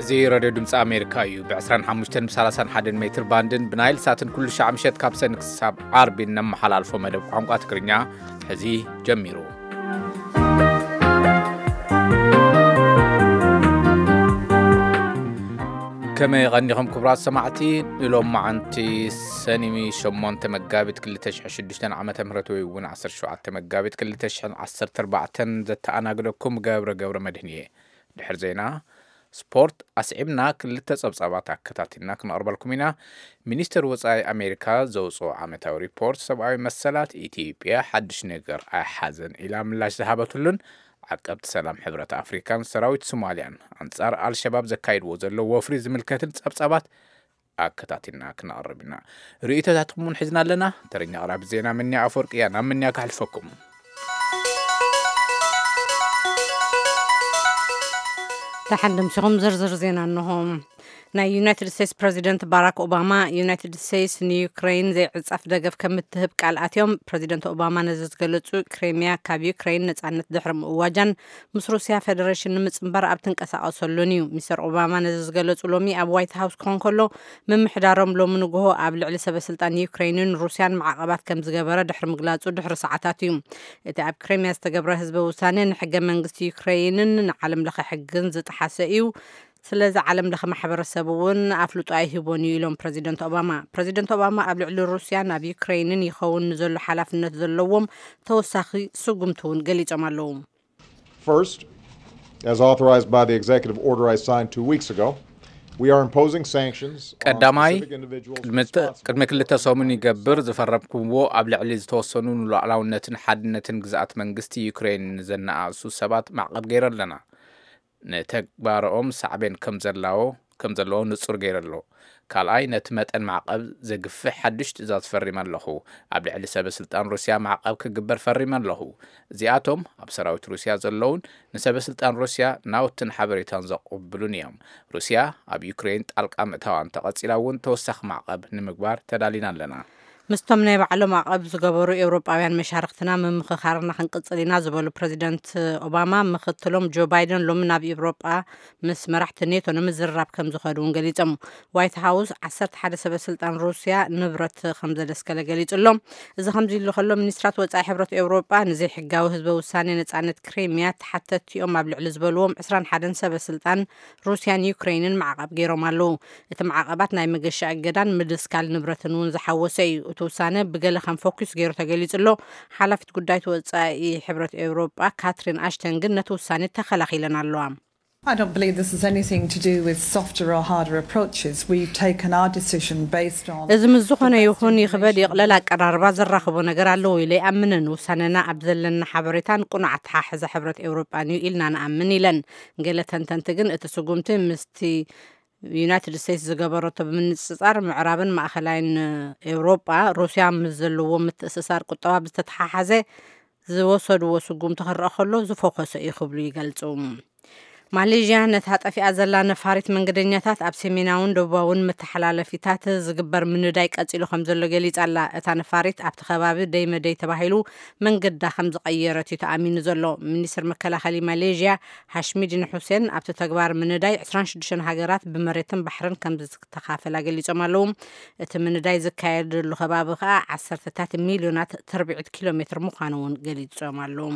እዚ ሬድዮ ድምፂ ኣሜሪካ እዩ። ብ ዕስራን ሓሙሽተን ብ ሰላሳን ሓደን ሜትር ባንድን ብናይል ሳትን ኩሉ ሻዕ ምሸት ካብ ሰኒ ክሳብ ዓርቢ እነመሓላልፎ መደብ ቋንቋ ትግርኛ ሕዚ ጀሚሩ። ከመይ ቀኒኹም ክቡራት ሰማዕቲ? ንሎም መዓንቲ ሰኒሚ ሸሞንተ መጋቢት ክልተ ሽሕን ሽዱሽተን ዓመተ ምህረት ወይ እውን ዓሰርተ ሸውዓተ መጋቢት ክልተ ሽሕን ዓሰርተ ኣርባዕተን ዘተኣናግደኩም ገብረ ገብረ መድህን እየ። ድሕሪ ዜና ስፖርት ኣስዒብና ክልተ ጸብጻባት ኣከታቲልና ክነቕርበልኩም ኢና። ሚኒስተር ወጻኢ ኣሜሪካ ዘውጽኦ ዓመታዊ ሪፖርት ሰብኣዊ መሰላት፣ ኢትዮጵያ ሓድሽ ነገር ኣይሓዘን ኢላ ምላሽ ዝሃበትሉን ዓቀብቲ ሰላም ሕብረት ኣፍሪካን ሰራዊት ሶማልያን ኣንጻር ኣልሸባብ ዘካይድዎ ዘለዉ ወፍሪ ዝምልከትን ጸብጻባት ኣከታቲልና ክነቕርብ ኢና። ርእይቶታትኩም እውን ሒዝና ኣለና። ተረኛ ኣቕራቢ ዜና ምንያ ኣፈወርቂ እያ። ናብ ምንያ ከሕልፈኩም። ደሓን ደምሲኹም ዝርዝር ዜና እንሆ። ናይ ዩናይትድ ስቴትስ ፕረዚደንት ባራክ ኦባማ፣ ዩናይትድ ስቴትስ ንዩክሬን ዘይዕጻፍ ደገፍ ከም እትህብ ቃል ኣትዮም። ፕረዚደንት ኦባማ ነዚ ዝገለጹ፣ ክሬሚያ ካብ ዩክሬን ነጻነት ድሕሪ ምእዋጃን ምስ ሩስያ ፌደሬሽን ንምጽንባር ኣብ ትንቀሳቐሰሉን እዩ። ሚስተር ኦባማ ነዚ ዝገለጹ ሎሚ ኣብ ዋይት ሃውስ ክኾን ከሎ፣ ምምሕዳሮም ሎሚ ንግሆ ኣብ ልዕሊ ሰበ ስልጣን ዩክሬንን ሩስያን ማዕቐባት ከም ዝገበረ ድሕሪ ምግላጹ ድሕሪ ሰዓታት እዩ። እቲ ኣብ ክሬሚያ ዝተገብረ ህዝበ ውሳነ ንሕገ መንግስቲ ዩክሬንን ንዓለም ለኸ ሕግን ዝጠሓሰ እዩ። ስለዚ ዓለም ለኸ ማሕበረሰብ እውን ኣፍልጦ ኣይህቦን እዩ ኢሎም ፕረዚደንት ኦባማ። ፕረዚደንት ኦባማ ኣብ ልዕሊ ሩስያን ኣብ ዩክሬንን ይኸውን ንዘሎ ሓላፍነት ዘለዎም ተወሳኺ ስጉምቲ እውን ገሊጾም ኣለዉ። First, as authorized by the executive order I signed two weeks ago, we are imposing sanctions on ቀዳማይ specific individuals ቅድሚ responsible. ቅድሚ ክልተ ሰሙን ይገብር ዝፈረምኩምዎ ኣብ ልዕሊ ዝተወሰኑ ንሉዓላውነትን ሓድነትን ግዝኣት መንግስቲ ዩክሬን ንዘነኣእሱ ሰባት ማዕቐብ ገይረ ኣለና። ንተግባርኦም ሳዕቤን ከም ዘላዎ ከም ዘለዎ ንጹር ገይረ ኣሎ። ካልኣይ፣ ነቲ መጠን ማዕቐብ ዘግፍሕ ሓድሽ ትእዛዝ ፈሪመ ኣለኹ። ኣብ ልዕሊ ሰበ ስልጣን ሩስያ ማዕቐብ ክግበር ፈሪመ ኣለኹ። እዚኣቶም ኣብ ሰራዊት ሩስያ ዘለውን ንሰበ ስልጣን ሩስያ ናውትን ሓበሬታን ዘቕብሉን እዮም። ሩስያ ኣብ ዩክሬን ጣልቃ ምእታዋ እንተቐጺላ እውን ተወሳኺ ማዕቐብ ንምግባር ተዳሊና ኣለና። ምስቶም ናይ ባዕሎም ማዕቐብ ዝገበሩ ኤውሮጳውያን መሻርክትና ምምኽኻርና ክንቅጽል ኢና ዝበሉ ፕረዚደንት ኦባማ፣ ምኽትሎም ጆ ባይደን ሎሚ ናብ ኤውሮጳ ምስ መራሕቲ ኔቶ ንምዝርራብ ከም ዝኸዱ እውን ገሊጾም። ዋይት ሃውስ ዓሰርተ ሓደ ሰበ ስልጣን ሩስያ ንብረት ከም ዘደስከለ ገሊጹ ኣሎ። እዚ ከምዚ ኢሉ ከሎ፣ ሚኒስትራት ወጻኢ ሕብረት ኤውሮጳ ንዘይሕጋዊ ህዝበ ውሳኔ ነጻነት ክሬሚያ ተሓተትቲ እዮም ኣብ ልዕሊ ዝበልዎም ዕስራን ሓደን ሰበ ስልጣን ሩስያን ዩክሬንን ማዕቐብ ገይሮም ኣለዉ። እቲ ማዕቐባት ናይ መገሻ እገዳን ምድስካል ንብረትን እውን ዝሓወሰ እዩ። እቲ ውሳነ ብገለ ከም ፎኪስ ገይሩ ተገሊጹ ኣሎ። ሓላፊት ጉዳይት ወጻኢ ሕብረት ኤውሮጳ ካትሪን ኣሽተን ግን ነቲ ውሳኔ ተኸላኺለን ኣለዋ። I don't believe this has anything to do with softer or harder approaches. We've taken our decision based on እዚ ምስ ዝኾነ ይኹን ይኽበድ ይቕለል ኣቀራርባ ዘራኽቦ ነገር ኣለዎ ኢለ ይኣምንን። ውሳነና ኣብ ዘለና ሓበሬታን ቅኑዕ ኣተሓሕዛ ሕብረት ኤውሮጳን እዩ ኢልና ንኣምን ኢለን። ገለ ተንተንቲ ግን እቲ ስጉምቲ ምስቲ ዩናይትድ ስቴትስ ዝገበረቶ ብምንጽጻር ምዕራብን ማእኸላይን ኤውሮጳ ሩስያ ምስ ዘለዎ ምትእስሳር ቁጠባ ብዝተተሓሓዘ ዝወሰድዎ ስጉምቲ ክረአ ከሎ ዝፎከሰ እዩ ክብሉ ይገልጹ። ማሌዥያ ነታ ጠፊኣ ዘላ ነፋሪት መንገደኛታት ኣብ ሰሜናውን ደቡባውን መተሓላለፊታት ዝግበር ምንዳይ ቀጺሉ ከም ዘሎ ገሊጻ ኣላ። እታ ነፋሪት ኣብቲ ከባቢ ደይ መደይ ተባሂሉ መንገዳ ከም ዝቐየረት እዩ ተኣሚኑ ዘሎ። ሚኒስትር መከላኸሊ ማሌዥያ ሃሽሚዲን ሁሴን ኣብቲ ተግባር ምንዳይ ዕስራን ሽዱሽተን ሃገራት ብመሬትን ባሕርን ከም ዝተኻፈላ ገሊጾም ኣለዉ። እቲ ምንዳይ ዝካየደሉ ከባቢ ከኣ ዓሰርተታት ሚልዮናት ትርብዒት ኪሎ ሜትር ምዃኑ እውን ገሊጾም ኣለዉ።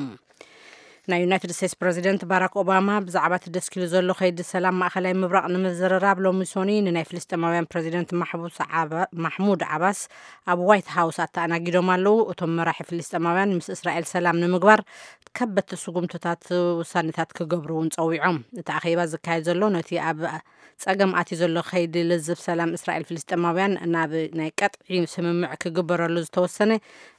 ናይ ዩናይትድ ስቴትስ ፕረዚደንት ባራክ ኦባማ ብዛዕባ እቲ ደስኪሉ ዘሎ ከይዲ ሰላም ማእኸላይ ምብራቕ ንምዝርራብ ሎሚ ሶኒ ንናይ ፍልስጤማውያን ፕረዚደንት ማሕቡስ ዓባ- ማሕሙድ ዓባስ ኣብ ዋይት ሃውስ ኣተኣናጊዶም ኣለዉ። እቶም መራሒ ፍልስጤማውያን ምስ እስራኤል ሰላም ንምግባር ከበድቲ ስጉምትታት ውሳኔታት ክገብሩ እውን ጸዊዖም። እቲ ኣኼባ ዝካየድ ዘሎ ነቲ ኣብ ጸገም ኣትዩ ዘሎ ከይዲ ልዝብ ሰላም እስራኤል ፍልስጤማውያን ናብ ናይ ቀጥዒ ስምምዕ ክግበረሉ ዝተወሰነ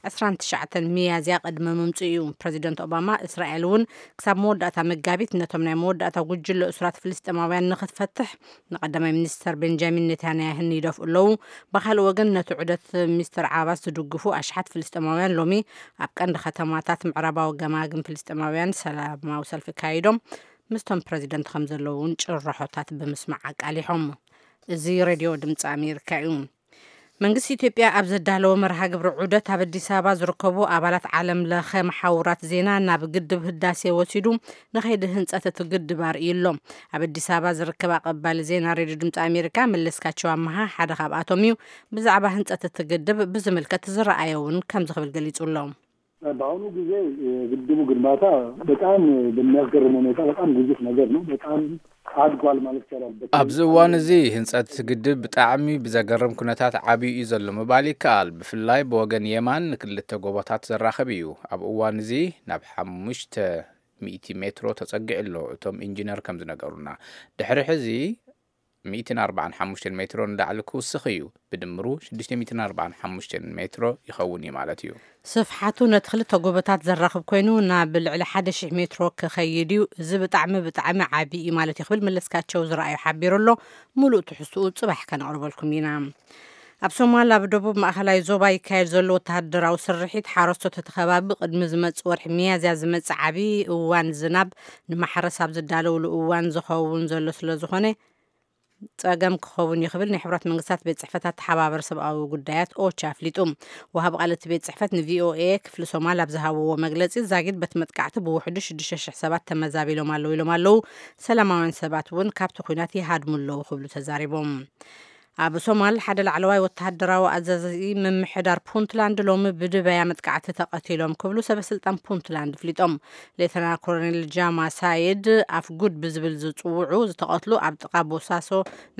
ዕስራን ትሽዓተን ሚያዝያ ቅድሚ ምምጽኡ እዩ። ፕረዚደንት ኦባማ እስራኤል እውን ክሳብ መወዳእታ መጋቢት ነቶም ናይ መወዳእታ ጉጅለ እሱራት ፍልስጤማውያን ንክትፈትሕ ንቀዳማይ ሚኒስተር ቤንጃሚን ኔታንያህን ይደፍኡ ኣለዉ። ብኻልእ ወገን ነቲ ዑደት ሚስተር ዓባስ ዝድግፉ ኣሽሓት ፍልስጤማውያን ሎሚ ኣብ ቀንዲ ከተማታት ምዕራባዊ ገማግም ፍልስጤማውያን ሰላማዊ ሰልፊ ካይዶም ምስቶም ፕረዚደንት ከም ዘለዉ እውን ጭርሖታት ብምስማዕ ኣቃሊሖም። እዚ ሬድዮ ድምፂ ኣሜሪካ እዩ። መንግስቲ ኢትዮጵያ ኣብ ዘዳለዎ መርሃ ግብሪ ዑደት ኣብ ኣዲስ ኣበባ ዝርከቡ ኣባላት ዓለም ለኸ መሓውራት ዜና ናብ ግድብ ህዳሴ ወሲዱ ንኸይዲ ህንጸት እቲ ግድብ ኣርእዩ ኣሎ። ኣብ ኣዲስ ኣበባ ዝርከብ ኣቐባሊ ዜና ሬድዮ ድምፂ ኣሜሪካ መለስካቸው ኣመሃ ሓደ ካብኣቶም እዩ። ብዛዕባ ህንጸት እቲ ግድብ ብዝምልከት ዝረኣየ እውን ከምዚ ክብል ገሊጹ ኣሎ። በአሁኑ ጊዜ የግድቡ ግንባታ በጣም በሚያስገርም ሁኔታ በጣም ግዙፍ ነገር ነው። በጣም አድጓል ማለት ይቻላል። በተለይ ኣብዚ እዋን እዚ ህንፀት ግድብ ብጣዕሚ ብዘገርም ኩነታት ዓብዩ እዩ ዘሎ ምባል ይከኣል። ብፍላይ ብወገን የማን ንክልተ ጎቦታት ዘራኽብ እዩ። ኣብ እዋን እዚ ናብ ሓሙሽተ ሚእቲ ሜትሮ ተፀጊዑ ኣሎ። እቶም ኢንጂነር ከም ዝነገሩና ድሕሪ ሕዚ ሚእትን ኣርባዓን ሓሙሽተን ሜትሮ ንላዕሊ ክውስኽ እዩ። ብድምሩ ሽዱሽተ ሚእትን ኣርባዓን ሓሙሽተን ሜትሮ ይኸውን እዩ ማለት እዩ። ስፍሓቱ ነቲ ክልተ ጎቦታት ዘራኽብ ኮይኑ ናብ ልዕሊ ሓደ ሺሕ ሜትሮ ክኸይድ እዩ። እዚ ብጣዕሚ ብጣዕሚ ዓቢ እዩ ማለት እዩ ክብል መለስካቸው ዝረኣዩ ሓቢሩ ኣሎ። ሙሉእ ትሕዝትኡ ጽባሕ ከነቕርበልኩም ኢና። ኣብ ሶማል ኣብ ደቡብ ማእኸላይ ዞባ ይካየድ ዘሎ ወተሃደራዊ ስርሒት ሓረስቶት እቲ ከባቢ ቅድሚ ዝመጽእ ወርሒ ሚያዝያ ዝመጽእ ዓቢ እዋን ዝናብ ንማሕረስ ኣብ ዝዳለውሉ እዋን ዝኸውን ዘሎ ስለ ዝኾነ ጸገም ክኸውን እዩ ክብል ናይ ሕብራት መንግስታት ቤት ጽሕፈት ኣተሓባበር ሰብኣዊ ጉዳያት ኦቻ ኣፍሊጡ። ወሃቢ ቃል እቲ ቤት ጽሕፈት ንቪኦኤ ክፍሊ ሶማል ኣብ ዝሃብዎ መግለጺ ዛጊድ በቲ መጥቃዕቲ ብውሕዱ ሽዱሽተ ሽሕ ሰባት ተመዛቢሎም ኣለዉ ኢሎም ኣለዉ። ሰላማውያን ሰባት እውን ካብቲ ኲናት ይሃድሙ ኣለዉ ክብሉ ተዛሪቦም። ኣብ ሶማል ሓደ ላዕለዋይ ወተሃደራዊ ኣዛዚ ምምሕዳር ፑንትላንድ ሎሚ ብድበያ መጥቃዕቲ ተቐቲሎም ክብሉ ሰበስልጣን ፑንትላንድ ኣፍሊጦም። ሌተና ኮሎኔል ጃማ ሳይድ ኣፍ ጉድ ብዝብል ዝጽውዑ ዝተቐትሉ ኣብ ጥቓ ቦሳሶ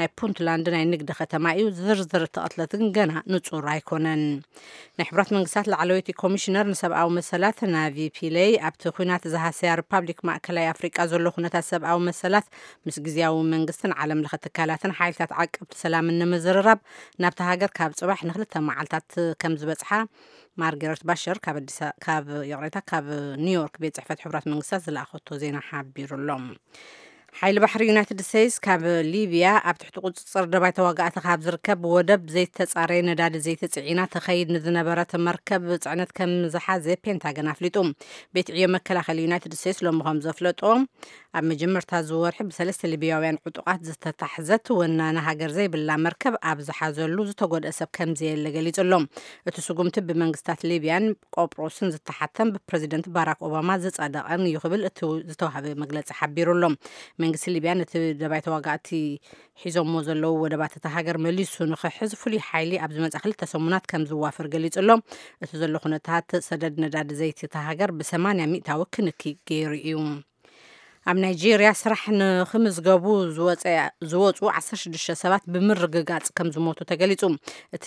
ናይ ፑንትላንድ ናይ ንግዲ ከተማ እዩ። ዝርዝር ተቐትለት ግን ገና ንጹር ኣይኮነን። ናይ ሕብራት መንግስታት ላዕለወይቲ ኮሚሽነር ንሰብኣዊ መሰላት ናቪ ፒለይ ኣብቲ ኲናት ዝሃሰያ ሪፓብሊክ ማእከላይ ኣፍሪቃ ዘሎ ኩነታት ሰብኣዊ መሰላት ምስ ግዝያዊ መንግስትን ዓለም ለኸ ትካላትን ሓይልታት ዓቀብቲ ሰላምን ንምዝርራብ ናብታ ሃገር ካብ ጽባሕ ንክልተ መዓልታት ከም ዝበጽሓ ማርገረት ባሸር ካብ ኣዲስ ካብ ይቕሬታ ካብ ኒውዮርክ ቤት ጽሕፈት ሕቡራት መንግስታት ዝለኣኸቶ ዜና ሓቢሩ ኣሎ። ሓይሊ ባሕሪ ዩናይትድ ስቴትስ ካብ ሊብያ ኣብ ትሕቲ ቁፅፅር ደባይ ተዋጋእቲ ካብ ዝርከብ ወደብ ዘይተፃረየ ነዳዲ ዘይቲ ፅዒና ተኸይድ ንዝነበረት መርከብ ፅዕነት ከም ዝሓዘ ፔንታገን ኣፍሊጡ። ቤት ዕዮ መከላኸሊ ዩናይትድ ስቴትስ ሎሚ ከም ዘፍለጦ ኣብ መጀመርታ ዝወርሒ ብሰለስተ ሊብያውያን ዕጡቓት ዝተታሕዘት ወናኒ ሃገር ዘይብላ መርከብ ኣብ ዝሓዘሉ ዝተጎድአ ሰብ ከም ዘየለ ገሊጹ ኣሎ። እቲ ስጉምቲ ብመንግስታት ሊብያን ቆጵሮስን ዝተሓተም ብፕረዚደንት ባራክ ኦባማ ዝጸደቐን እዩ ክብል እቲ ዝተዋህበ መግለጺ ሓቢሩ ኣሎ። መንግስቲ ሊብያ ነቲ ደባይ ተዋጋእቲ ሒዞሞ ዘለዉ ወደባት እታ ሃገር መሊሱ ንኽሕዝ ፍሉይ ሓይሊ ኣብ ዝመጻ ክልተ ሰሙናት ከም ዝዋፈር ገሊጹ ኣሎ። እቲ ዘሎ ኩነታት ሰደድ ነዳዲ ዘይቲ እታ ሃገር ብሰማንያ ሚእታዊ ክንኪ ገይሩ እዩ። ኣብ ናይጄርያ ስራሕ ንኽምዝገቡ ዝወፀ- ዝወፁ ዓሰርተ ሽዱሽተ ሰባት ብምርግጋፅ ከም ዝሞቱ ተገሊፁ። እቲ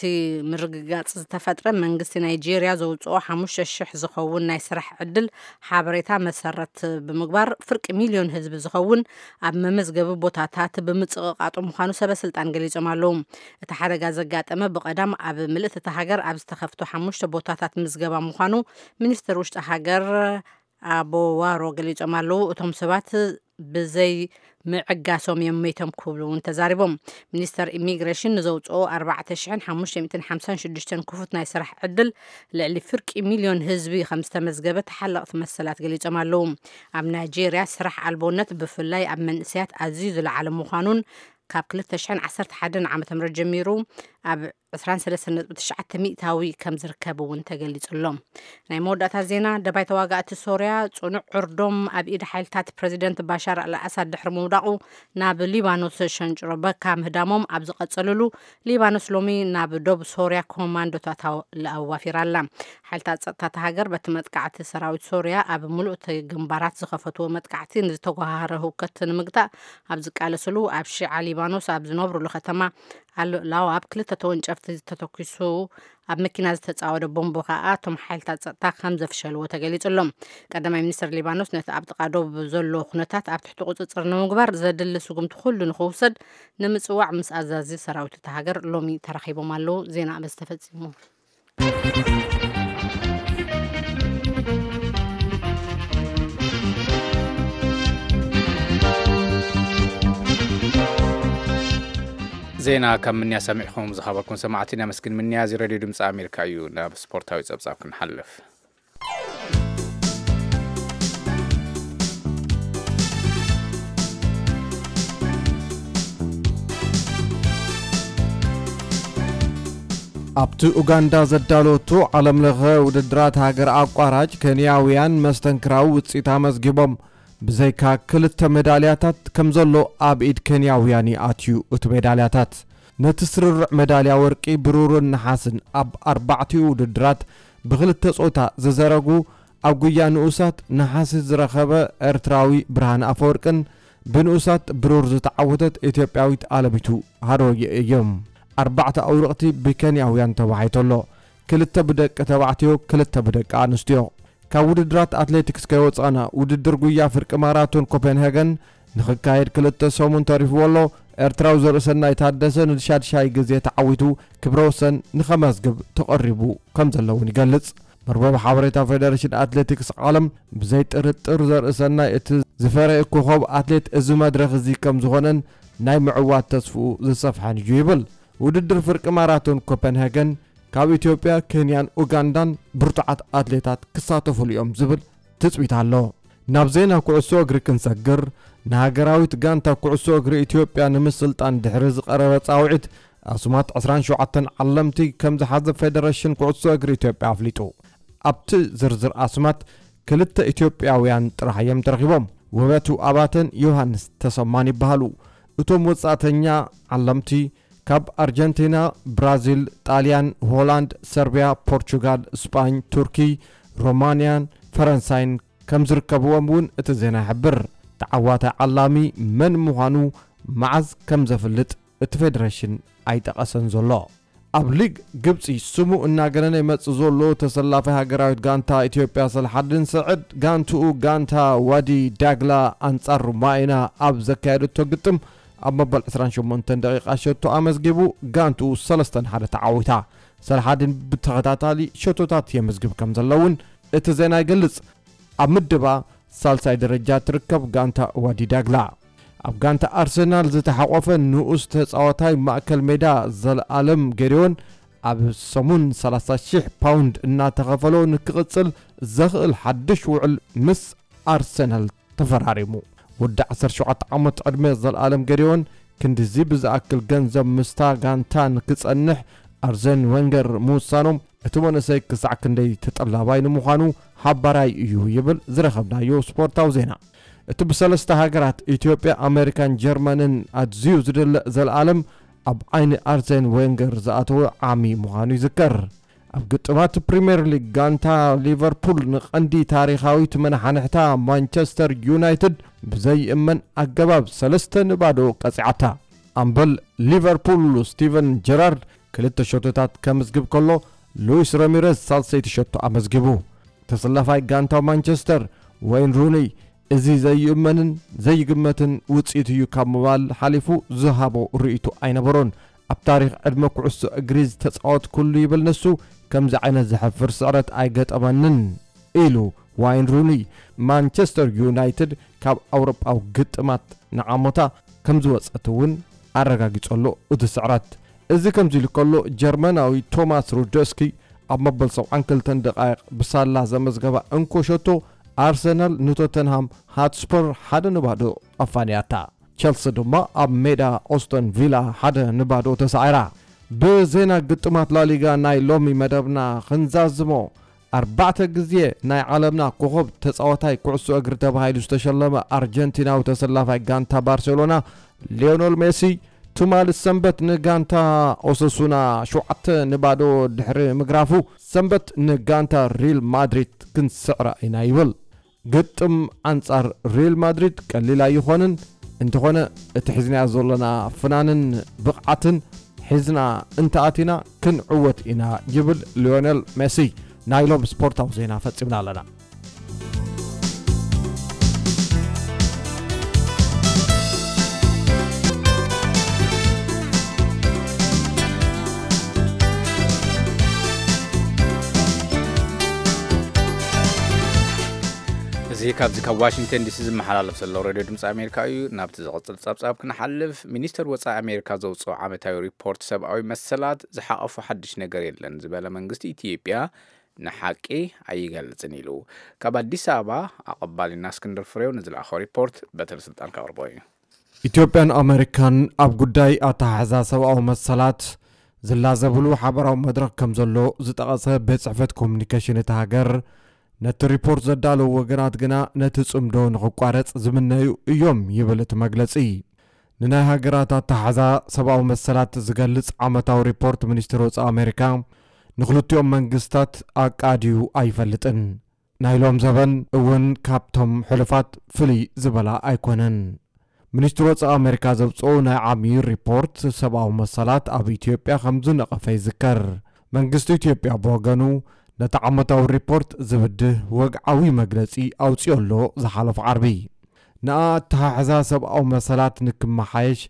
ምርግጋፅ ዝተፈጥረ መንግስቲ ናይጄርያ ዘውፅኦ ሓሙሽተ ሽሕ ዝኸውን ናይ ስራሕ ዕድል ሓበሬታ መሰረት ብምግባር ፍርቂ ሚልዮን ህዝቢ ዝኸውን ኣብ መመዝገቢ ቦታታት ብምፅቕቓጡ ምዃኑ ሰበ ስልጣን ገሊፆም ኣለዉ። እቲ ሓደጋ ዘጋጠመ ብቐዳም ኣብ ምልእቲ እታ ሃገር ኣብ ዝተኸፍቱ ሓሙሽተ ቦታታት ምዝገባ ምዃኑ ሚኒስትር ውሽጢ ሃገር ኣቦ ዋሮ ገሊጾም ኣለዉ። እቶም ሰባት ብዘይ ምዕጋሶም እዮም መይቶም ክብሉ እውን ተዛሪቦም። ሚኒስተር ኢሚግሬሽን ንዘውፅኦ ኣርባዕተ ሽሕን ሓሙሽተ ሚእትን ሓምሳን ሽዱሽተን ክፉት ናይ ስራሕ ዕድል ልዕሊ ፍርቂ ሚልዮን ህዝቢ ከም ዝተመዝገበ ተሓለቕቲ መሰላት ገሊጾም ኣለዉ። ኣብ ናይጄርያ ስራሕ ኣልቦነት ብፍላይ ኣብ መንእሰያት ኣዝዩ ዝለዓለ ምዃኑን ካብ ክልተ ሽሕን ዓሰርተ ሓደን ዓመተ ምህረት ጀሚሩ ኣብ ዕስራን ሰለስተን ነጥቢ ትሽዓተ ሚእታዊ ከም ዝርከብ እውን ተገሊጹ ኣሎ። ናይ መወዳእታ ዜና፣ ደባይ ተዋጋእቲ ሶርያ ጽኑዕ ዕርዶም ኣብ ኢድ ሓይልታት ፕረዚደንት ባሻር ኣልኣሳድ ድሕሪ ምውዳቑ ናብ ሊባኖስ ሸንጭሮ በካ ምህዳሞም ኣብ ዝቐጸሉሉ፣ ሊባኖስ ሎሚ ናብ ዶብ ሶርያ ኮማንዶታት ኣው- ኣዋፊራ ኣላ። ሓይልታት ጸጥታ እታ ሃገር በቲ መጥቃዕቲ ሰራዊት ሶርያ ኣብ ምሉእ እቲ ግንባራት ዝኸፈትዎ መጥቃዕቲ ንዝተጓሃረ ህውከት ንምግታእ ኣብ ዝቃለስሉ ኣብ ሺዓ ሊባኖስ ኣብ ዝነብሩሉ ከተማ ኣል ላዋብ ክልተ ተወንጨፍቲ ዝተተኪሱ ኣብ መኪና ዝተጻወደ ቦምቦ ከኣ እቶም ሓይልታት ጸጥታ ከም ዘፍሸልዎ ተገሊጹ ኣሎ። ቀዳማይ ሚኒስትር ሊባኖስ ነቲ ኣብ ጥቓ ዶብ ዘሎ ኩነታት ኣብ ትሕቲ ቁጽጽር ንምግባር ዘድሊ ስጉምቲ ኩሉ ንኽውሰድ ንምጽዋዕ ምስ ኣዛዚ ሰራዊት እታ ሃገር ሎሚ ተራኺቦም ኣለዉ። ዜና በዚ ተፈጺሙ። ዜና ካብ ምንያ ሰሚዕኹም ዝኸበርኩም ሰማዕቲ ነመስግን። ምንያ እዚ ሬድዮ ድምፂ ኣሜሪካ እዩ። ናብ ስፖርታዊ ፀብፃብ ክንሓልፍ። ኣብቲ ኡጋንዳ ዘዳለወቶ ዓለምለኸ ውድድራት ሃገር ኣቋራጭ፣ ኬንያውያን መስተንክራዊ ውፅኢት ኣመዝጊቦም። ብዘይካ ክልተ ሜዳልያታት ከም ዘሎ ኣብ ኢድ ኬንያውያን ይኣትዩ እቲ ሜዳልያታት። ነቲ ስርርዕ ሜዳልያ ወርቂ፣ ብሩርን ነሓስን ኣብ ኣርባዕቲኡ ውድድራት ብክልተ ጾታ ዝዘረጉ፣ ኣብ ጉያ ንኡሳት ነሓሲ ዝረኸበ ኤርትራዊ ብርሃነ ኣፈወርቅን ብንኡሳት ብሩር ዝተዓወተት ኢትዮጵያዊት ኣለሚቱ ሃሮየ እዮም። ኣርባዕተ ኣውርቕቲ ብኬንያውያን ተባሒቱ ኣሎ። ክልተ ብደቂ ተባዕትዮ፣ ክልተ ብደቂ ኣንስትዮ። ካብ ውድድራት ኣትሌቲክስ ከይወጻና፣ ውድድር ጉያ ፍርቂ ማራቶን ኮፐንሄገን ንኽካየድ ክልተ ሰሙን ተሪፍዎ ኣሎ። ኤርትራዊ ዘርእሰናይ ታደሰ ንሻድሻይ ግዜ ተዓዊቱ ክብረ ወሰን ንኸመዝግብ ተቐሪቡ ከም ዘለውን ይገልጽ። መርበብ ሓበሬታ ፌደሬሽን ኣትሌቲክስ ዓለም፣ ብዘይ ጥርጥር ዘርእሰናይ እቲ ዝፈረየ ኮኸብ ኣትሌት እዚ መድረኽ እዚ ከም ዝኾነን ናይ ምዕዋት ተስፍኡ ዝሰፍሐን እዩ ይብል። ውድድር ፍርቂ ማራቶን ኮፐንሄገን ካብ ኢትዮጵያ፣ ኬንያን ኡጋንዳን ብርቱዓት ኣትሌታት ክሳተፉሉ እዮም ዝብል ትጽቢት ኣሎ። ናብ ዜና ኩዕሶ እግሪ ክንሰግር፣ ንሃገራዊት ጋንታ ኩዕሶ እግሪ ኢትዮጵያ ንምስልጣን ድሕሪ ዝቐረበ ጻውዒት፣ ኣስማት ዕስራን ሸውዓተን ዓለምቲ ከም ዝሓዘ ፌደሬሽን ኩዕሶ እግሪ ኢትዮጵያ ኣፍሊጡ። ኣብቲ ዝርዝር ኣስማት ክልተ ኢትዮጵያውያን ጥራሕ እዮም ተረኺቦም። ውበቱ ኣባተን ዮሃንስ ተሰማን ይበሃሉ። እቶም ወጻእተኛ ዓለምቲ ካብ ኣርጀንቲና፣ ብራዚል፣ ጣልያን፣ ሆላንድ፣ ሰርቢያ፣ ፖርቹጋል፣ ስጳኝ፣ ቱርኪ፣ ሮማንያን ፈረንሳይን ከም ዝርከብዎም እውን እቲ ዜና ይሕብር። ተዓዋታይ ዓላሚ መን ምዃኑ መዓዝ ከም ዘፍልጥ እቲ ፌደሬሽን ኣይጠቐሰን ዘሎ። ኣብ ሊግ ግብጺ ስሙ እናገነነ ይመጽእ ዘሎ ተሰላፋይ ሃገራዊት ጋንታ ኢትዮጵያ ሰልሓድን ሰዕድ፣ ጋንትኡ ጋንታ ዋዲ ዳግላ ኣንጻር ሩማይና ኣብ ዘካየደቶ ግጥም፣ ኣብ መበል ዕስራን ሸሞንተን ደቂቓ ሸቶ ኣመዝጊቡ፣ ጋንትኡ ሰለስተ ንሓደ ተዓዊታ። ሰልሓድን ብተኸታታሊ ሸቶታት የመዝግብ ከም ዘለውን እቲ ዜና ይገልጽ። ኣብ ምድባ ሳልሳይ ደረጃ ትርከብ ጋንታ ዋዲ ዳግላ። ኣብ ጋንታ ኣርሰናል ዝተሓቆፈ ንኡስ ተጻዋታይ ማእከል ሜዳ ዘልኣለም ገዲዮን፣ ኣብ ሰሙን ሰላሳ ሺሕ ፓውንድ እናተኸፈሎ ንክቕጽል ዘኽእል ሓድሽ ውዕል ምስ ኣርሰናል ተፈራሪሙ። ወዲ ዓሰርተ ሸውዓተ ዓመት ዕድመ ዘልኣለም ገዲዮን፣ ክንድዚ ብዝኣክል ገንዘብ ምስታ ጋንታ ንክጸንሕ ኣርዘን ወንገር ምውሳኖም፣ እቲ መንእሰይ ክሳዕ ክንደይ ተጠላባይ ንምዃኑ ሓባራይ እዩ ይብል ዝረኸብናዮ ስፖርታዊ ዜና። እቲ ብሰለስተ ሃገራት፣ ኢትዮጵያ፣ ኣሜሪካን ጀርመንን፣ ኣዝዩ ዝድለ ዘልኣለም፣ ኣብ ዓይኒ ኣርዘን ወንገር ዝኣተወ ዓሚ ምዃኑ ይዝከር። ኣብ ግጥማት ፕሪምየር ሊግ፣ ጋንታ ሊቨርፑል ንቐንዲ ታሪኻዊት መናሓንሕታ ማንቸስተር ዩናይትድ ብዘይእመን ኣገባብ ሰለስተ ንባዶ ቀጺዓታ። ኣምበል ሊቨርፑል ስቲቨን ጀራርድ ክልተ ሸቶታት ከምዝግብ ከሎ፣ ሉዊስ ረሚረዝ ሳልሰይቲ ሸቶ ኣመዝጊቡ። ተሰላፋይ ጋንታ ማንቸስተር፣ ወይን ሩኒ፣ እዚ ዘይእመንን ዘይግመትን ውጽኢት እዩ ካብ ምባል ሓሊፉ ዝሃቦ ርእይቶ ኣይነበሮን። ኣብ ታሪኽ ዕድመ ኩዕሶ እግሪ ዝተጻወትኩሉ ይብል ንሱ፣ ከምዚ ዓይነት ዘሕፍር ስዕረት ኣይገጠመንን ኢሉ ዋይን ሩኒ። ማንቸስተር ዩናይትድ ካብ ኣውሮጳዊ ግጥማት ንዓሞታ ከም ዝወጸት እውን ኣረጋጊጸሉ እቲ ስዕረት። እዚ ከምዚ ኢሉ ከሎ፣ ጀርመናዊ ቶማስ ሩደስኪ ኣብ መበል ሰብዓን ክልተን ደቃይቕ ብሳላ ዘመዝገባ እንኮ ሸቶ፣ ኣርሰናል ንቶተንሃም ሃትስፐር ሓደ ንባዶ ኣፋንያታ። ቸልሲ ድማ ኣብ ሜዳ ኦስተን ቪላ ሓደ ንባዶ ተሳዒራ። ብዜና ግጥማት ላሊጋ ናይ ሎሚ መደብና ክንዛዝሞ፣ ኣርባዕተ ግዜ ናይ ዓለምና ኮኸብ ተጻዋታይ ኩዕሶ እግሪ ተባሂሉ ዝተሸለመ ኣርጀንቲናዊ ተሰላፋይ ጋንታ ባርሴሎና ሊዮነል ሜሲ፣ ትማሊ ሰንበት ንጋንታ ኦሰሱና ሸውዓተ ንባዶ ድሕሪ ምግራፉ፣ ሰንበት ንጋንታ ሪል ማድሪድ ክንስዕራ ኢና ይብል። ግጥም ኣንጻር ሪል ማድሪድ ቀሊል ኣይኾንን። እንተኾነ፣ እቲ ሒዝናዮ ዘለና ፍናንን ብቕዓትን ሒዝና እንተኣቲና፣ ክንዕወት ኢና ይብል ሊዮነል ሜሲ። ናይ ሎም ስፖርታዊ ዜና ፈጺምና ኣለና። እዚ ካብዚ ካብ ዋሽንግተን ዲሲ ዝመሓላለፍ ዘሎ ሬድዮ ድምፂ ኣሜሪካ እዩ። ናብቲ ዝቕፅል ፀብፃብ ክንሓልፍ፣ ሚኒስተር ወፃኢ ኣሜሪካ ዘውፅኦ ዓመታዊ ሪፖርት ሰብኣዊ መሰላት ዝሓቐፎ ሓድሽ ነገር የለን ዝበለ መንግስቲ ኢትዮጵያ፣ ንሓቂ ኣይገልጽን ኢሉ። ካብ ኣዲስ ኣበባ ኣቐባሊና እስክንድር ፍሬው ንዝለኣኾ ሪፖርት በትሪ ስልጣን ከቕርቦ እዩ። ኢትዮጵያን ኣሜሪካን ኣብ ጉዳይ ኣተሓሕዛ ሰብኣዊ መሰላት ዝላዘብሉ ሓበራዊ መድረኽ ከም ዘሎ ዝጠቐሰ ቤት ጽሕፈት ኮሙኒኬሽን እታ ሃገር፣ ነቲ ሪፖርት ዘዳለዉ ወገናት ግና ነቲ ጽምዶ ንኽቋረጽ ዝምነዩ እዮም ይብል እቲ መግለጺ። ንናይ ሃገራት ኣተሓሕዛ ሰብኣዊ መሰላት ዝገልጽ ዓመታዊ ሪፖርት ሚኒስትሪ ወጻኢ ኣሜሪካ ንኽልቲኦም መንግስታት ኣቃድዩ ኣይፈልጥን። ናይ ሎም ዘበን እውን ካብቶም ሕሉፋት ፍልይ ዝበላ ኣይኮነን። ሚኒስትሪ ወጻኢ ኣሜሪካ ዘውጽኦ ናይ ዓሚ ሪፖርት ሰብኣዊ መሰላት ኣብ ኢትዮጵያ ከም ዝነቐፈ ይዝከር። መንግስቲ ኢትዮጵያ ብወገኑ ነቲ ዓመታዊ ሪፖርት ዝብድህ ወግዓዊ መግለጺ ኣውጺኦ ኣሎ ዝሓለፉ ዓርቢ። ንኣተሓሕዛ ሰብኣዊ መሰላት ንክመሓየሽ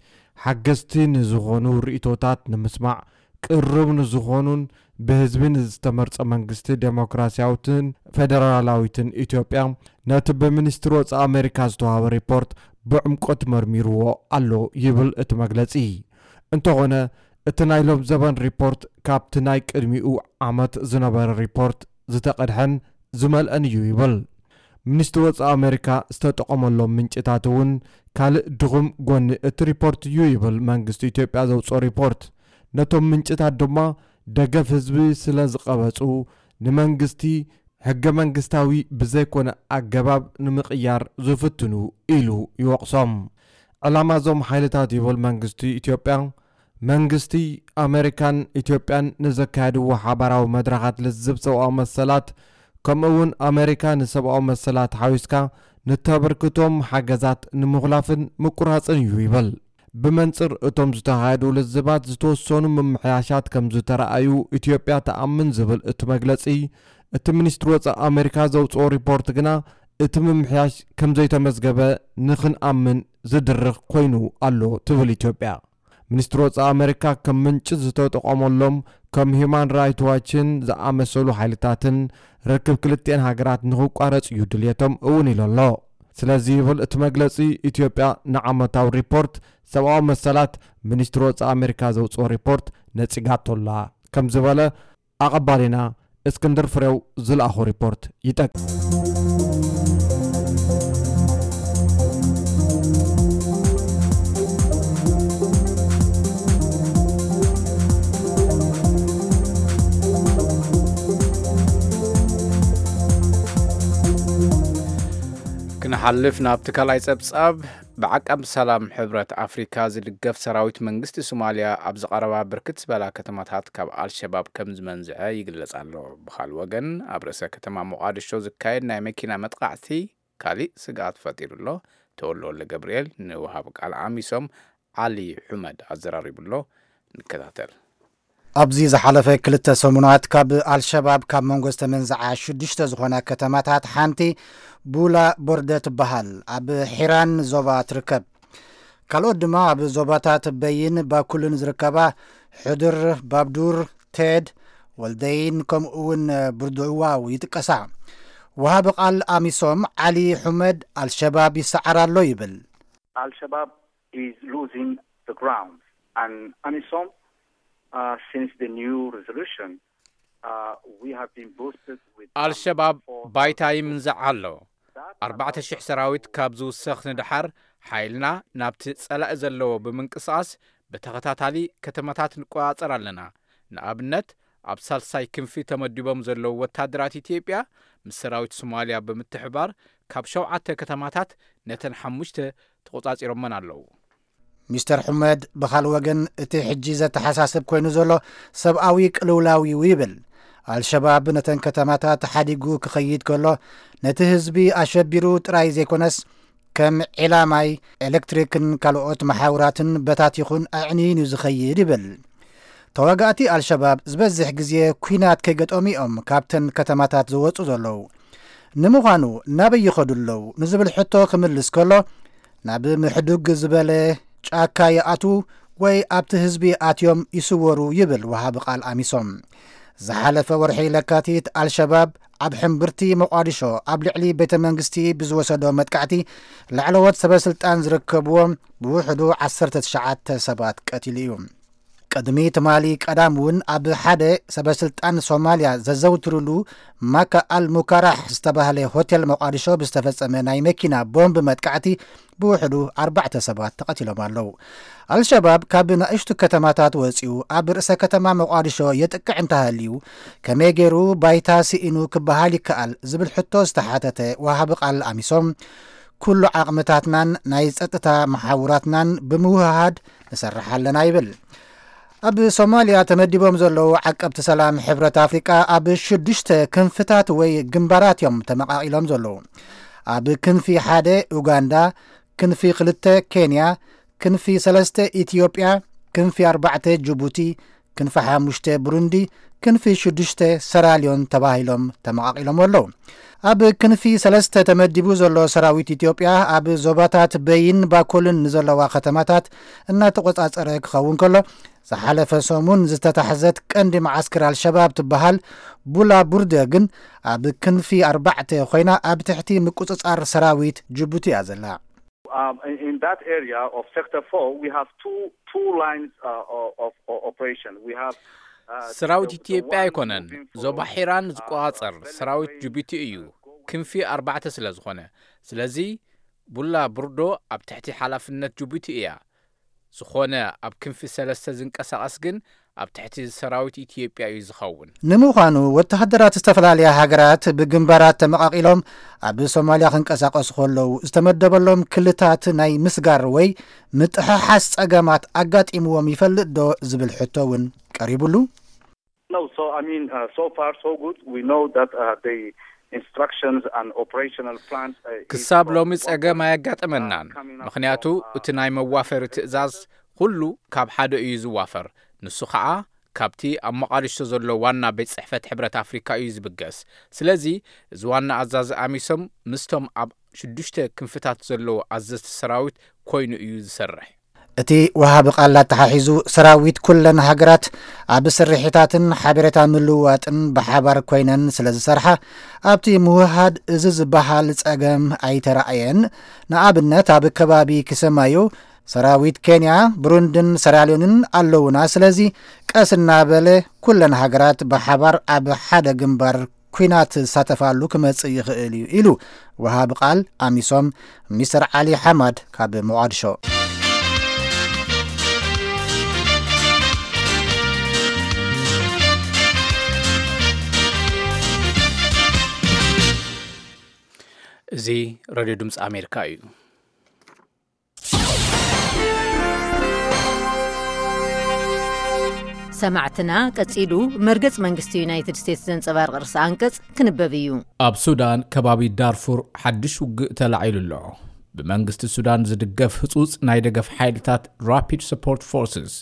ሓገዝቲ ንዝኾኑ ርእይቶታት ንምስማዕ ቅርብ ንዝኾኑን ብህዝቢ ንዝተመርጸ መንግስቲ ዴሞክራሲያዊትን ፌደራላዊትን ኢትዮጵያ ነቲ ብሚኒስትሪ ወጻኢ ኣሜሪካ ዝተዋህበ ሪፖርት ብዕምቆት መርሚርዎ ኣሎ ይብል እቲ መግለጺ። እንተኾነ እቲ ናይ ሎም ዘበን ሪፖርት ካብቲ ናይ ቅድሚኡ ዓመት ዝነበረ ሪፖርት ዝተቐድሐን ዝመልአን እዩ ይብል። ሚኒስትሪ ወጻኢ ኣሜሪካ ዝተጠቐመሎም ምንጭታት እውን ካልእ ድኹም ጎኒ እቲ ሪፖርት እዩ ይብል መንግስቲ ኢትዮጵያ ዘውፅኦ ሪፖርት። ነቶም ምንጭታት ድማ ደገፍ ህዝቢ ስለ ዝቐበጹ ንመንግስቲ ሕገ መንግስታዊ ብዘይኮነ ኣገባብ ንምቕያር ዝፍትኑ ኢሉ ይወቕሶም። ዕላማ እዞም ሓይልታት ይብል መንግስቲ ኢትዮጵያ፣ መንግስቲ ኣሜሪካን ኢትዮጵያን ንዘካየድዎ ሓባራዊ መድረኻት ልዝብ ሰብኣዊ መሰላት፣ ከምኡ እውን ኣሜሪካ ንሰብኣዊ መሰላት ሓዊስካ ንተበርክቶም ሓገዛት ንምኹላፍን ምቁራፅን እዩ ይብል። ብመንፅር እቶም ዝተኻየዱ ልዝባት ዝተወሰኑ ምምሕያሻት ከም ዝተረኣዩ ኢትዮጵያ ትኣምን ዝብል እቲ መግለፂ፣ እቲ ሚኒስትሪ ወፃኢ ኣሜሪካ ዘውፅኦ ሪፖርት ግና እቲ ምምሕያሽ ከም ዘይተመዝገበ ንኽንኣምን ዝድርኽ ኮይኑ ኣሎ ትብል ኢትዮጵያ። ሚኒስትሪ ወጻኢ ኣሜሪካ ከም ምንጪ ዝተጠቐመሎም ከም ሂዩማን ራይት ዋችን ዝኣመሰሉ ሓይልታትን ርክብ ክልቲኤን ሃገራት ንኽቋረጽ እዩ ድልየቶም እውን ኢሉ ኣሎ። ስለዚ ይብል እቲ መግለጺ፣ ኢትዮጵያ ንዓመታዊ ሪፖርት ሰብኣዊ መሰላት ሚኒስትሪ ወጻኢ ኣሜሪካ ዘውጽኦ ሪፖርት ነጺጋቶላ ከም ዝበለ ኣቐባሊና እስክንድር ፍሬው ዝለኣኾ ሪፖርት ይጠቅስ። ክንሓልፍ ናብቲ ካልኣይ ጸብጻብ። ብዓቃብ ሰላም ሕብረት ኣፍሪካ ዝድገፍ ሰራዊት መንግስቲ ሶማልያ ኣብዚ ቀረባ ብርክት ዝበላ ከተማታት ካብ ኣልሸባብ ከም ዝመንዝዐ ይግለጽ ኣሎ። ብኻልእ ወገን ኣብ ርእሰ ከተማ ሞቓድሾ ዝካየድ ናይ መኪና መጥቓዕቲ ካሊእ ስግኣት ፈጢሩ ኣሎ። ተወልደ ወልደ ገብርኤል ንወሃቢ ቃል ኣሚሶም ዓሊ ሑመድ ኣዘራሪቡ ኣሎ። ንከታተል። ኣብዚ ዝሓለፈ ክልተ ሰሙናት ካብ ኣልሸባብ ካብ መንጎ ዝተመንዝዓ ሽዱሽተ ዝኾና ከተማታት ሓንቲ ቡላ ቦርደ ትበሃል ኣብ ሒራን ዞባ ትርከብ። ካልኦት ድማ ኣብ ዞባታት በይን ባኩልን ዝርከባ ሕድር፣ ባብዱር፣ ቴድ፣ ወልደይን ከምኡ እውን ብርድዕዋው ይጥቀሳ። ወሃቢ ቃል ኣሚሶም ዓሊ ሑመድ ኣልሸባብ ይሰዓር ኣሎ ይብል። Al-Shabaab is losing the ground, and amisom, uh, since the new resolution, uh, we have been boosted with some ኣልሸባብ ባይታ ይምንዛዕ ኣሎ። ኣርባዕተ ሺሕ ሰራዊት ካብ ዝውሰኽ ንደሓር ሓይልና ናብቲ ጸላኢ ዘለዎ ብምንቅስቓስ ብተኸታታሊ ከተማታት ንቆጻጸር ኣለና። ንኣብነት ኣብ ሳልሳይ ክንፊ ተመዲቦም ዘለዉ ወታደራት ኢትዮጵያ ምስ ሰራዊት ሶማልያ ብምትሕባር ካብ ሸውዓተ ከተማታት ነተን ሓሙሽተ ተቖጻጺሮመን ኣለዉ። ሚስተር ሑመድ ብኻልእ ወገን እቲ ሕጂ ዘተሓሳስብ ኮይኑ ዘሎ ሰብኣዊ ቅልውላው እዩ ይብል። ኣልሸባብ ነተን ከተማታት ሓዲጉ ክኸይድ ከሎ ነቲ ህዝቢ ኣሸቢሩ ጥራይ ዘይኮነስ ከም ዒላ ማይ፣ ኤሌክትሪክን ካልኦት መሓውራትን በታቲኹን ኣዕንዩን እዩ ዝኸይድ ይብል። ተዋጋእቲ ኣልሸባብ ዝበዝሕ ግዜ ኲናት ከይገጠሙ እዮም ካብተን ከተማታት ዝወፁ ዘለዉ። ንምዃኑ ናበይ ይኸዱ ኣለዉ ንዝብል ሕቶ ክምልስ ከሎ ናብ ምሕዱግ ዝበለ ጫካ ይኣትዉ ወይ ኣብቲ ህዝቢ ኣትዮም ይስወሩ ይብል ወሃቢ ቃል ኣሚሶም። ዝሓለፈ ወርሒ ለካቲት ኣልሸባብ ኣብ ሕምብርቲ ሞቓዲሾ ኣብ ልዕሊ ቤተ መንግስቲ ብዝወሰዶ መጥቃዕቲ ላዕለዎት ሰበ ስልጣን ዝርከብዎም ብውሕዱ ዓሰርተ ትሽዓተ ሰባት ቀቲሉ እዩ። ቅድሚ ትማሊ ቀዳም እውን ኣብ ሓደ ሰበስልጣን ሶማልያ ዘዘውትሩሉ ማካ ኣል ሙካራሕ ዝተባህለ ሆቴል ሞቃዲሾ ብዝተፈጸመ ናይ መኪና ቦምብ መጥቃዕቲ ብውሕዱ ኣርባዕተ ሰባት ተቐቲሎም ኣለዉ። ኣልሸባብ ካብ ንኣሽቱ ከተማታት ወጺኡ ኣብ ርእሰ ከተማ ሞቃዲሾ የጥቅዕ እንተሃልዩ፣ ከመይ ገይሩ ባይታ ስኢኑ ክበሃል ይከኣል ዝብል ሕቶ ዝተሓተተ ወሃቢ ቃል ኣሚሶም፣ ኩሉ ዓቕምታትናን ናይ ጸጥታ መሓውራትናን ብምውህሃድ ንሰርሕ ኣለና ይብል። ኣብ ሶማልያ ተመዲቦም ዘለዉ ዓቀብቲ ሰላም ሕብረት ኣፍሪቃ ኣብ ሽዱሽተ ክንፍታት ወይ ግንባራት እዮም ተመቓቒሎም ዘለዉ። ኣብ ክንፊ ሓደ ኡጋንዳ፣ ክንፊ ክልተ ኬንያ፣ ክንፊ ሰለስተ ኢትዮጵያ፣ ክንፊ ኣርባዕተ ጅቡቲ፣ ክንፊ ሓሙሽተ ብሩንዲ፣ ክንፊ ሽዱሽተ ሰራልዮን ተባሂሎም ተመቓቒሎም ኣለዉ። ኣብ ክንፊ ሰለስተ ተመዲቡ ዘሎ ሰራዊት ኢትዮጵያ ኣብ ዞባታት በይን ባኮልን ንዘለዋ ከተማታት እናተቖጻጸረ ክኸውን ከሎ፣ ዝሓለፈ ሰሙን ዝተታሕዘት ቀንዲ መዓስከር ኣልሸባብ ትበሃል ቡላ ቡርደ ግን ኣብ ክንፊ ኣርባዕተ ኮይና ኣብ ትሕቲ ምቁጽጻር ሰራዊት ጅቡቲ እያ ዘላ። Um, in, in that area of sector four, we have two two lines uh, of, of, of operation. We have uh, ሰራዊት the- the ኢትዮጵያ one ኣይኮነን moving from, ዞባ ሒራን uh, ዝቆጻጸር Benue ሰራዊት Plain, ጅቡቲ እዩ። uh, go ክንፊ ኣርባዕተ ስለ ዝኾነ፣ ስለዚ ቡላ ብርዶ ኣብ ትሕቲ ሓላፍነት ጅቡቲ እያ። ዝኾነ ኣብ ክንፊ ሰለስተ ዝንቀሳቐስ ግን ኣብ ትሕቲ ሰራዊት ኢትዮጵያ እዩ ዝኸውን። ንምዃኑ ወተሃደራት ዝተፈላለያ ሃገራት ብግንባራት ተመቓቒሎም ኣብ ሶማልያ ክንቀሳቐሱ ከለዉ ዝተመደበሎም ክልታት ናይ ምስጋር ወይ ምጥሕሓስ ጸገማት ኣጋጢምዎም ይፈልጥ ዶ ዝብል ሕቶ እውን ቀሪቡሉ። No, so I mean, uh, so far so good. We know that uh, the instructions and operational plans. Uh, is ክሳብ from ሎሚ one ጸገም point, ኣየጋጠመናን። uh, coming up ምኽንያቱ from, uh, እቲ ናይ መዋፈሪ ትእዛዝ ኩሉ ካብ ሓደ እዩ ዝዋፈር። ንሱ ኸዓ ካብቲ ኣብ መቓዲሾ ዘሎ ዋና ቤት ጽሕፈት ሕብረት ኣፍሪካ እዩ ዝብገስ። ስለዚ እዚ ዋና ኣዛዚ ኣሚሶም ምስቶም ኣብ ሽዱሽተ ክንፍታት ዘለዉ ኣዘዝቲ ሰራዊት ኮይኑ እዩ ዝሰርሕ። እቲ ወሃቢ ቃል ኣተሓሒዙ ሰራዊት ኩለን ሃገራት ኣብ ስርሒታትን ሓበሬታ ምልውዋጥን ብሓባር ኮይነን ስለ ዝሰርሓ ኣብቲ ምውሃድ እዚ ዝበሃል ጸገም ኣይተራእየን። ንኣብነት ኣብ ከባቢ ክሰማዩ ሰራዊት ኬንያ፣ ብሩንድን ሰራልዮንን ኣለውና። ስለዚ ቀስ እናበለ ኩለን ሃገራት ብሓባር ኣብ ሓደ ግንባር ኲናት ዝሳተፋሉ ክመጽእ ይኽእል እዩ ኢሉ ወሃቢ ቃል ኣሚሶም ሚስተር ዓሊ ሓማድ ካብ ሞቓድሾ። እዚ ሬድዮ ድምፂ ኣሜሪካ እዩ። ሰማዕትና ቀጺሉ መርገጽ መንግስቲ ዩናይትድ ስቴትስ ዘንጸባርቕ ርእሲ ኣንቀጽ ክንበብ እዩ። ኣብ ሱዳን ከባቢ ዳርፉር ሓድሽ ውግእ ተላዒሉ ኣሎ። ብመንግስቲ ሱዳን ዝድገፍ ህጹጽ ናይ ደገፍ ሓይልታት ራፒድ ሰፖርት ፎርስስ፣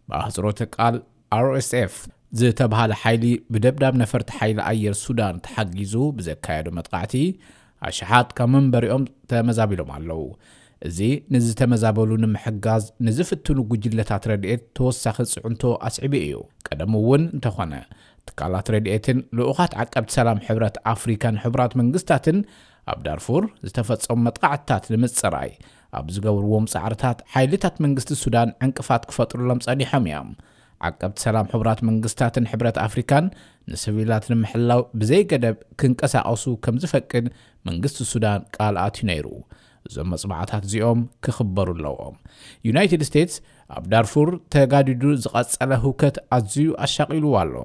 ብኣህጽሮተ ቃል ኣር ኤስ ኤፍ፣ ዝተባሃለ ሓይሊ ብደብዳብ ነፈርቲ ሓይሊ ኣየር ሱዳን ተሓጊዙ ብዘካየዶ መጥቃዕቲ ኣሽሓት ካብ መንበሪኦም ተመዛቢሎም ኣለዉ። እዚ ንዝተመዛበሉ ንምሕጋዝ ንዝፍትኑ ጉጅለታት ረድኤት ተወሳኺ ጽዕንቶ ኣስዒቡ እዩ። ቀደም እውን እንተኾነ ትካላት ረድኤትን ልኡኻት ዓቀብቲ ሰላም ሕብረት ኣፍሪካን ሕቡራት መንግስታትን ኣብ ዳርፉር ዝተፈጸሙ መጥቃዕትታት ንምጽራይ ኣብ ዝገብርዎም ጻዕርታት ሓይልታት መንግስቲ ሱዳን ዕንቅፋት ክፈጥሩሎም ጸኒሖም እዮም። ዓቀብቲ ሰላም ሕቡራት መንግስታትን ሕብረት ኣፍሪካን ንስቪላት ንምሕላው ብዘይገደብ ክንቀሳቐሱ ከም ዝፈቅድ መንግስቲ ሱዳን ቃል ኣትዩ ነይሩ። እዞም መጽባዕታት እዚኦም ክኽበሩ ኣለዎም። ዩናይትድ ስቴትስ ኣብ ዳርፉር ተጋዲዱ ዝቐጸለ ህውከት ኣዝዩ ኣሻቒልዎ ኣሎ።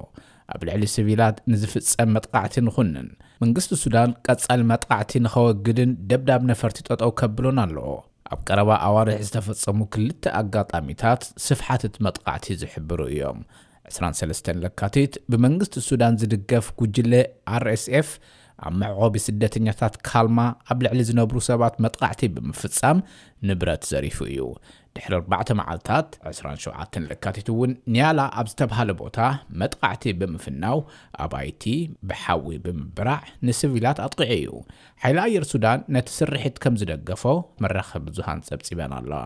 ኣብ ልዕሊ ስቪላት ንዝፍጸም መጥቃዕቲ ንኹንን መንግስቲ ሱዳን ቀጻሊ መጥቃዕቲ ንኸወግድን ደብዳብ ነፈርቲ ጠጠው ከብሎን ኣለዎ። ኣብ ቀረባ ኣዋርሕ ዝተፈጸሙ ክልተ ኣጋጣሚታት ስፍሓት እቲ መጥቃዕቲ ዝሕብሩ እዮም። ዕስራን ሰለስተን ለካቲት ብመንግስቲ ሱዳን ዝድገፍ ጉጅለ ኣር ኤስ ኤፍ ኣብ መዕቆቢ ስደተኛታት ካልማ ኣብ ልዕሊ ዝነብሩ ሰባት መጥቃዕቲ ብምፍጻም ንብረት ዘሪፉ እዩ። ድሕሪ ኣርባዕተ መዓልታት ዕስራን ሸውዓተን ለካቲት እውን ኒያላ ኣብ ዝተባሃለ ቦታ መጥቃዕቲ ብምፍናው ኣባይቲ ብሓዊ ብምብራዕ ንስቪላት ኣጥቂዑ እዩ። ሓይሊ ኣየር ሱዳን ነቲ ስርሒት ከም ዝደገፎ መራኸቢ ብዙሃን ጸብጺበን ኣለዋ።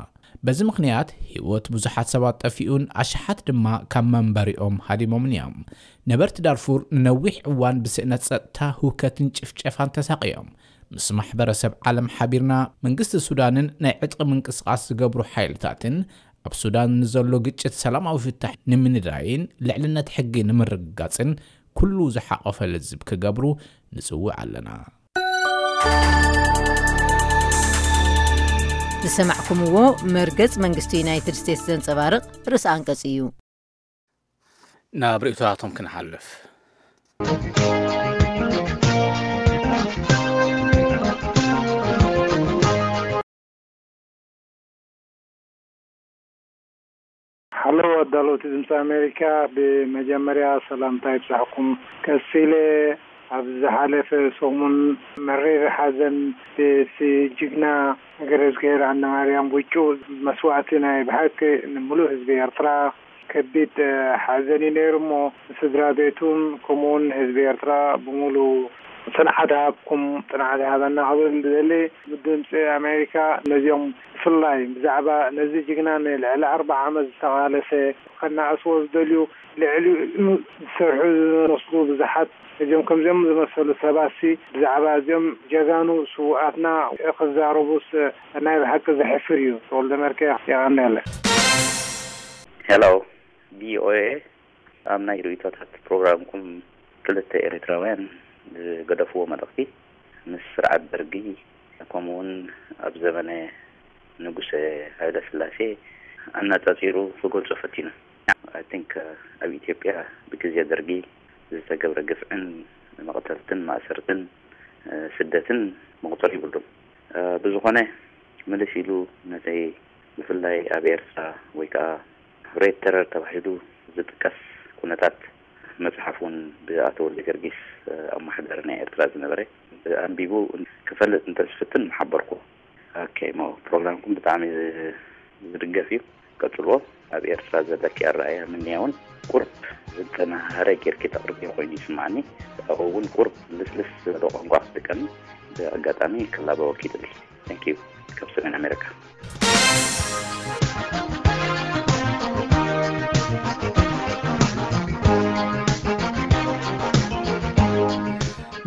በዚ ምኽንያት ህይወት ብዙሓት ሰባት ጠፊኡን ኣሽሓት ድማ ካብ መንበሪኦም ሃዲሞምን እዮም። ነበርቲ ዳርፉር ንነዊሕ እዋን ብስእነት ጸጥታ ህውከትን ጭፍጨፋን ተሳቕዮም። ምስ ማሕበረሰብ ዓለም ሓቢርና መንግስቲ ሱዳንን ናይ ዕጥቂ ምንቅስቓስ ዝገብሩ ሓይልታትን ኣብ ሱዳን ንዘሎ ግጭት ሰላማዊ ፍታሕ ንምንዳይን ልዕልነት ሕጊ ንምርግጋጽን ኩሉ ዝሓቆፈ ልዝብ ክገብሩ ንጽውዕ ኣለና። ዝሰማዕኩምዎ መርገጽ መንግስቲ ዩናይትድ ስቴትስ ዘንጸባርቕ ርእሰ ኣንቀጽ እዩ። ናብ ርእይቶታቶም ክንሓልፍ። ሓሎ ኣዳለውቲ ድምፂ ኣሜሪካ፣ ብመጀመርያ ሰላምታ ይብፃሕኩም። ቀፂለ፣ ኣብ ዝሓለፈ ሰሙን መሪር ሓዘን ብቲ ጅግና ገረዝግሄር ኣነማርያም ውጩ መስዋእቲ ናይ ብሓቂ ንምሉእ ህዝቢ ኤርትራ ከቢድ ሓዘን እዩ ነይሩ እሞ፣ ንስድራ ቤቱን ከምኡውን ህዝቢ ኤርትራ ብምሉ ጽንዓት ሃብኩም፣ ጽንዓት ሃበና ክብል ዝደሊ። ብድምፂ ኣሜሪካ ነዚኦም ብፍላይ ብዛዕባ ነዚ ጅግና ንልዕሊ ኣርባዓ ዓመት ዝተቓለሰ ከናእስዎ ዝደልዩ፣ ልዕሊኡ ዝሰርሑ ዝመስሉ ብዙሓት፣ እዚኦም ከምዚኦም ዝመሰሉ ሰባትሲ ብዛዕባ እዚኦም ጀጋኑ ስውኣትና ክዛረቡስ ናይ ብሓቂ ዘሕፍር እዩ። ተወልደ መርኬ፣ የቐንየለ። ሄሎ፣ ቪኦኤ፣ ኣብ ናይ ርእይቶታት ፕሮግራምኩም ክልተ ኤርትራውያን ዝገደፍዎ መልእኽቲ፣ ምስ ስርዓት ደርጊ ከምኡውን ኣብ ዘመነ ንጉሰ ሃይለ ስላሴ ኣነጻጺሩ ክገልጾ ፈቲኑ። I think ኣብ ኢትዮጵያ ብግዜ ደርጊ ዝተገብረ ግፍዕን መቕተልትን ማእሰርትን ስደትን መቑጸር ይብሉን። ብዝኾነ፣ ምልስ ኢሉ ነቲ ብፍላይ ኣብ ኤርትራ ወይ ከዓ ሬድ ተረር ተባሂሉ ዝጥቀስ ኩነታት፣ መፅሓፍ እውን ብኣቶ ወልደ ገርጊስ ኣማሕዳሪ ናይ ኤርትራ ዝነበረ ኣንቢቡ ክፈልጥ እንተዝፍትን ምሓበርኩ። ኦኬ፣ ሞ ፕሮግራምኩም ብጣዕሚ ዝድገፍ እዩ። ቀጽልዎ። ኣብ ኤርትራ ዘለኪ ኣረኣእያ ምንያ እውን ቁርብ ዝተናሃረ ጌርኪ ተቕርብዮ ኮይኑ ይስምዓኒ። ኣብኡ እውን ቁርብ ልስልስ ዝበለ ቋንቋ ክትጥቀሚ ብኣጋጣሚ ክላበወኪ ይደሊ። Thank you። ካብ ሰሜን ኣሜሪካ።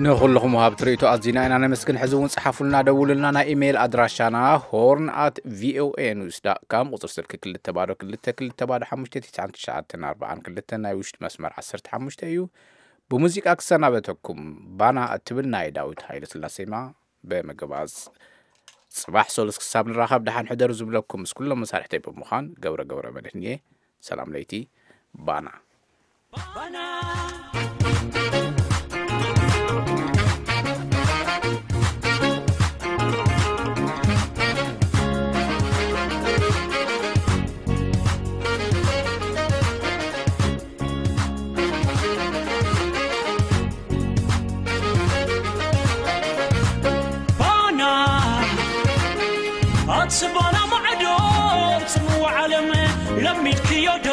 ንኹልኹም ወሃብቲ ርእይቶ ኣዚና ኢና ነመስግን። ሕዚ እውን ጽሓፉልና፣ ደውሉልና። ናይ ኢሜይል ኣድራሻና ሆርን ኣት ቪኦኤ ኒውስ ዳት ካም፣ ቁጽሪ ስልኪ ክልተ ባዶ ክልተ ክልተ ባዶ ሓሙሽተ ትሽዓን ትሽዓተን ኣርባዓን ክልተን፣ ናይ ውሽጢ መስመር ዓሰርተ ሓሙሽተ እዩ። ብሙዚቃ ክሰናበተኩም፣ ባና እትብል ናይ ዳዊት ሃይለስላሴ ዜማ ብምግባዝ፣ ጽባሕ ሰሉስ ክሳብ ንራኸብ ደሓን ሕደሩ ዝብለኩም ምስ ኩሎም መሳርሕተይ ብምዃን ገብረ ገብረ መድህን እየ። ሰላም ለይቲ። ባና። ባና ኣቲ ባና ማዕዶ፣ ጽምዋ ዓለም ለሚድክዮ ዶ?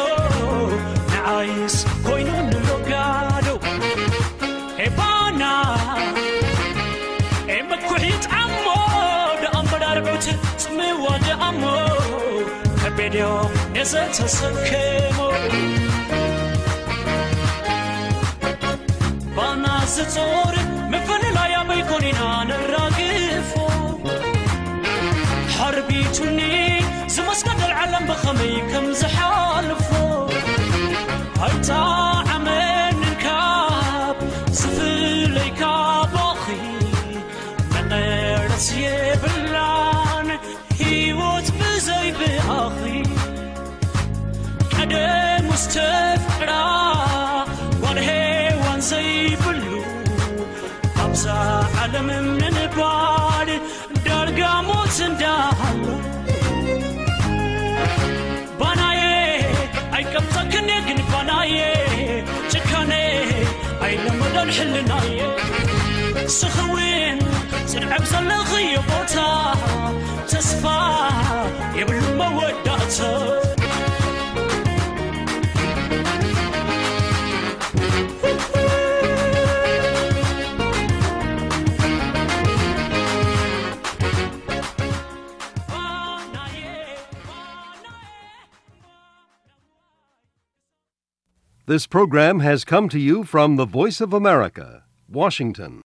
ንዓይስ ኮይኑ ንሎጋዶ። ኤ ባና፣ ኤ መኩሒ ጣሞ፣ ደኣ እምበር ኣርዑት ጽምዋ ደኣሞ፣ ከቤድዮ ነዘተሰከሞ። ባና ዝጾር ምፍልላይ ኣበይ ኮን ኢና ነራግፎ? ሓርቢቱኒ ዝመስገደል ዓለም ብኸመይ ከም ዝሓልፎ። ኣይጣዓመንን ካብ ዝፍለይ ካባኺ፣ መቐረት የብላን ህይወት ብዘይ ብኣኺ። ቀደም ውስጥ ተፍቅራ ጓል ሄዋን ዘይብሉ፣ ኣብዛ ዓለም ምንባር ዳርጋ ሞት እንዳሃሉ። ባናዬ ኣይቀብጸክን ግን ባናዬ፣ ጭካኔ ኣይለመደን ሕልናዬ። ስኽውን ጽንዐብ ዘለኽዮ ቦታ፣ ተስፋ የብሉ መወዳእታ። This program has come to you from the Voice of America, Washington.